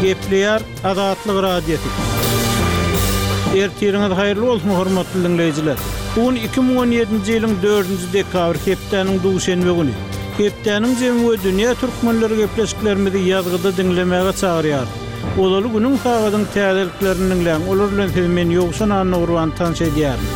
Gepleýär Azatlyk Radiosy. Ertiriňiz haýyrly bolsun, hormatly diňleýjiler! Bu gün 2017-nji ýylyň dördünji dekabry, hepdäniň duşenbe güni. Hepdäniň jemi we dünýä türkmenleri gepleşiklerimizi ýazgyda diňlemäge çagyrýarys. Ozaly günüň sagadyň täzeliklerini diňläň, olar bilen sizi men Ýowşan Annagurban tanyş edýärin.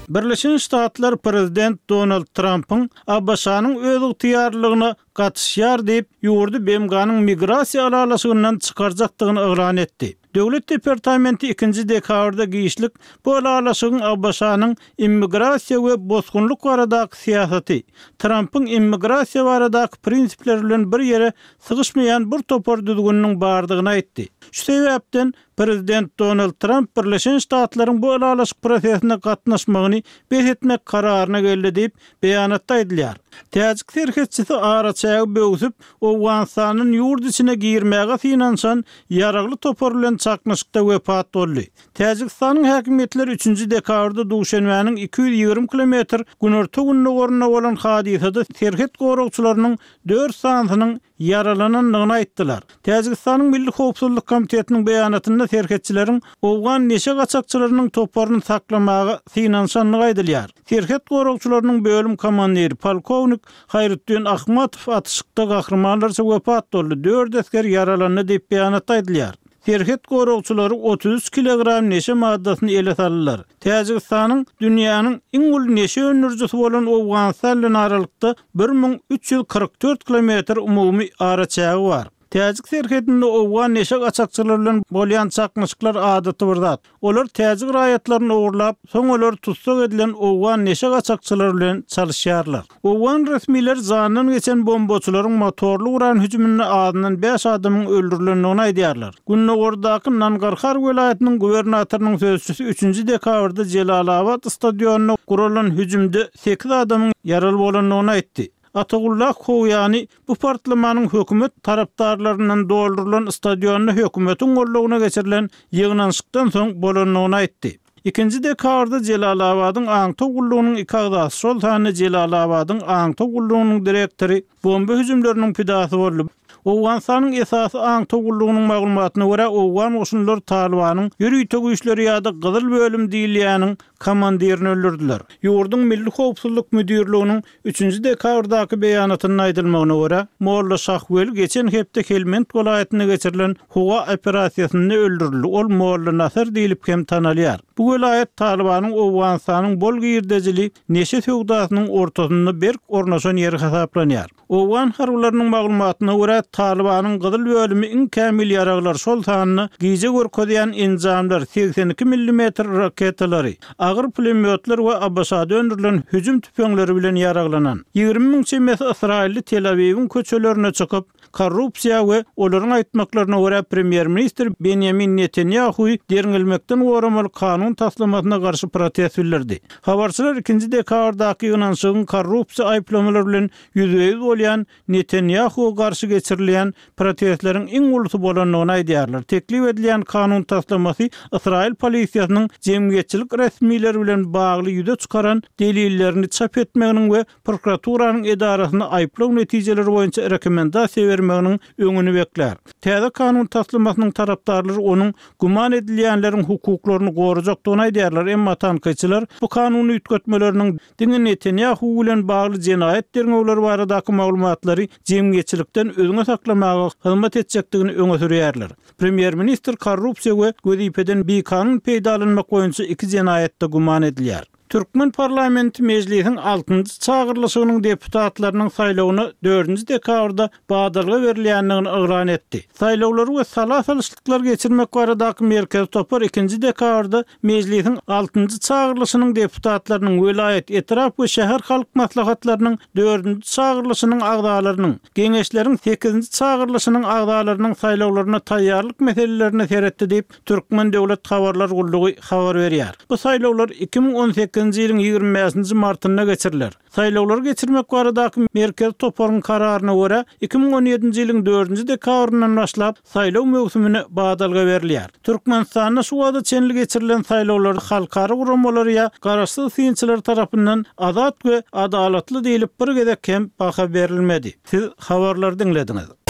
Birleşen Ştatlar prezident Donald Trampyň ABŞ-nyň özygtyýarlylygyna gatyşýar diýip, ýurdy BMG-niň migrasiýa ylalaşygyndan çykarjakdygyny yglan etdi. Döwlet departamenti ikinji dekabrda giçlik bu ylalaşygyň ABŞ-nyň immigrasiýa we bosgunlyk baradaky syýasaty, Trampyň immigrasiýa baradaky prinsipleri bilen bir ýere sygyşmaýan bir topar düzgüniniň bardygyny aýtdy. Şu sebäpden, Prezident Donald Tramp Birleşen Ştatlaryň bu ylalaşyk prosesine gatnaşmagyny bes etmek kararyna geldi diýip, beýanatda aýdylýar. Täjik serhetçisi araçägi böwsüp, Owganystandan ýurt içine girmäge synanyşan ýaragly topar bilen çaknyşykda wepat boldy. Täjigistanyň häkimiýetleri üçünji dekabrda Duşenbäniň 220 kilometr günorta-gündogarynda bolan hadysada serhet goragçylarynyň dört sanysynyň ýaralanandygyny aýtdylar. Täjigistanyň Milli howpsuzlyk komitetiniň beýanatynda serhetçileriň owgan neşe gaçakçylarynyň toparyny saklamaga synanyşandygy aýdylýar. Serhet goragçylarynyň bölüm komandiri, polkownik Haýrutdin Ahmatow atyşykda gahrymanlarça wepat boldy, dört esger ýaralandy diýip beýanatda aýdylýar. Serhet goragçylary 33 kilogram neşe maddasyny ele saldylar. Täjigistanyň dünýäniň iň uly neşe öndürijisi bolan Owganystan bilen aralykda 1344 kilometr umumy araçägi bar. Täjik serhedinde owgan neşe gaçakçylary bilen bolýan çaknyşyklar adaty bir zat. Olar täjik raýatlaryny ogurlap, soň olary tussag edilen owgan neşe gaçakçylary bilen çalyşýarlar. Owgan resmileri jandan geçen bombaçylaryň motorly guran hüjüminde azyndan bäş adamyň öldürilendigini aýdýarlar. Gündogardaky Nangarhar welaýatynyň gubernatorynyň sözçüsi üçünji dekabrda Jelalabat stadionynda guralan hüjümde sekiz adamyň ýaraly bolandygyny aýtdy. Atagullah Kowýany bu partlamanyň hökümet tarapdarlaryndan doldurylan stadionda hökümetiň goldawyna geçirilen ýygnanyşykdan soň bolandygyny aýtdy. Ikinji dekabrda Jelalabadyň aňtaw gullugynyň iki agzasy, şol sanda Jelalabadyň aňtaw gullugynyň direktory bomba hüjümleriniň pidasy boldy. Owganystanyň esasy aňtaw gullugynyň maglumatyna görä, owgan goşunlary Talybanyň ýörite güýçleri ýa-da Gyzyl bölüm diýilýäniň komandirini öldürdiler. Ýurduň Milli howpsuzlyk müdirliginiň Üçünji dekabrdaky beýanatynda aýdylmagyna görä, Molla Şahweli geçen hepde Helmend welaýatynda geçirilen howa operasiýasynda öldürildi, ol Molla Nasar diýlip hem tanalýar. Bu welaýat Talybanyň Owganystanyň bol girdejili neşe söwdasynyň ortasynda berk ornaşan ýeri hasaplanýar. Owgan harbylarynyň maglumatyna görä, Talybanyň gyzyl bölümi iň kämil ýaraglar, şol sanda gije görkezýän enjamlar, 82 millimetr raketalary, agyr pulemýotlar we ABŞ-da öndürilen hüjüm tüpeňleri bilen ýaraglanan 20 müň çemesi ysraýylly Tel-Awiwiň köçelerine çykyp, korrupsiýa we, olaryň aýtmaklaryna görä, premýer-ministr Benýamin Netanýahuwy derňelmekden goramaly kanun taslamasyna garşy protest bildirdi. Habarçylar ikinji dekabrdaky ýygnanyşygyň korrupsiýa aýyplamalary bilen ýüzbe-ýüz bolýan Netanýahuwa garşy geçirilýän protestleriň iň ulusy bolandygyny aýdýarlar. Teklip edilýän kanun taslamasy ysraýyl polisiýasynyň jemgyýetçilik resmileri bilen bagly ýüze çykaran delillerini çap etmeginiň we prokuraturanyň edarasyna aýyplaw netijeleri boýunça rekomendasiýa bermeginiň öňüni beklär. Täze kanun taslamasynyň tarapdarlary onuň güman edilýänleriň hukuklaryny gorajakdygyny aýdýarlar, emma tankytçylar bu kanun üýtgetmeleriniň Diňe Netanýahu bilen bagly jenaýat derňewleri baradaky maglumatlary jemgyýetçilikden özüňe saklamaga hyzmat etjekdigini öňe sürýärler. Premýer-ministr korrupsiýa we wezipeden bikanun peýdalanmak boýunça iki jenaýatda güman edilýär. Türkmen parlamenti Mejlisiň altynjy çagyrylyşygynyň deputatlarynyň saýlawyna dördünji dekabrda badalga berilýändigini yglan etdi. Saýlawlary we sala salyşlyklary geçirmek baradaky merkezi topar ikinji dekabrda Mejlisiň altynjy çagyrylyşynyň deputatlarynyň, welaýat, etrap we şäher halk maslahatlarynyň dördünji çagyrylyşynyň agzalarynyň, Geňeşleriň sekizinji çagyrylyşynyň agzalarynyň saýlawlaryna taýýarlyk meselelerine seretdi diýip, Türkmen döwlet habarlar gullugy habar berýär. Bu saýlawlar 2018-nji ýylyň 25-nji martynda geçiriler. Saýlawlary geçirmek baradaky Merkezi toparyň kararyna görä, 2017-nji ýylyň dördünji dekabryndan başlap, saýlaw möwsümine badalga berilýär. Türkmenistanda şu wagta çenli geçirilen saýlawlar halkara guramalary ýa garaşsyz synçylar tarapyndan azat we adalatly diýlip bir gezek hem baha berilmedi. Siz habarlary diňlediňiz.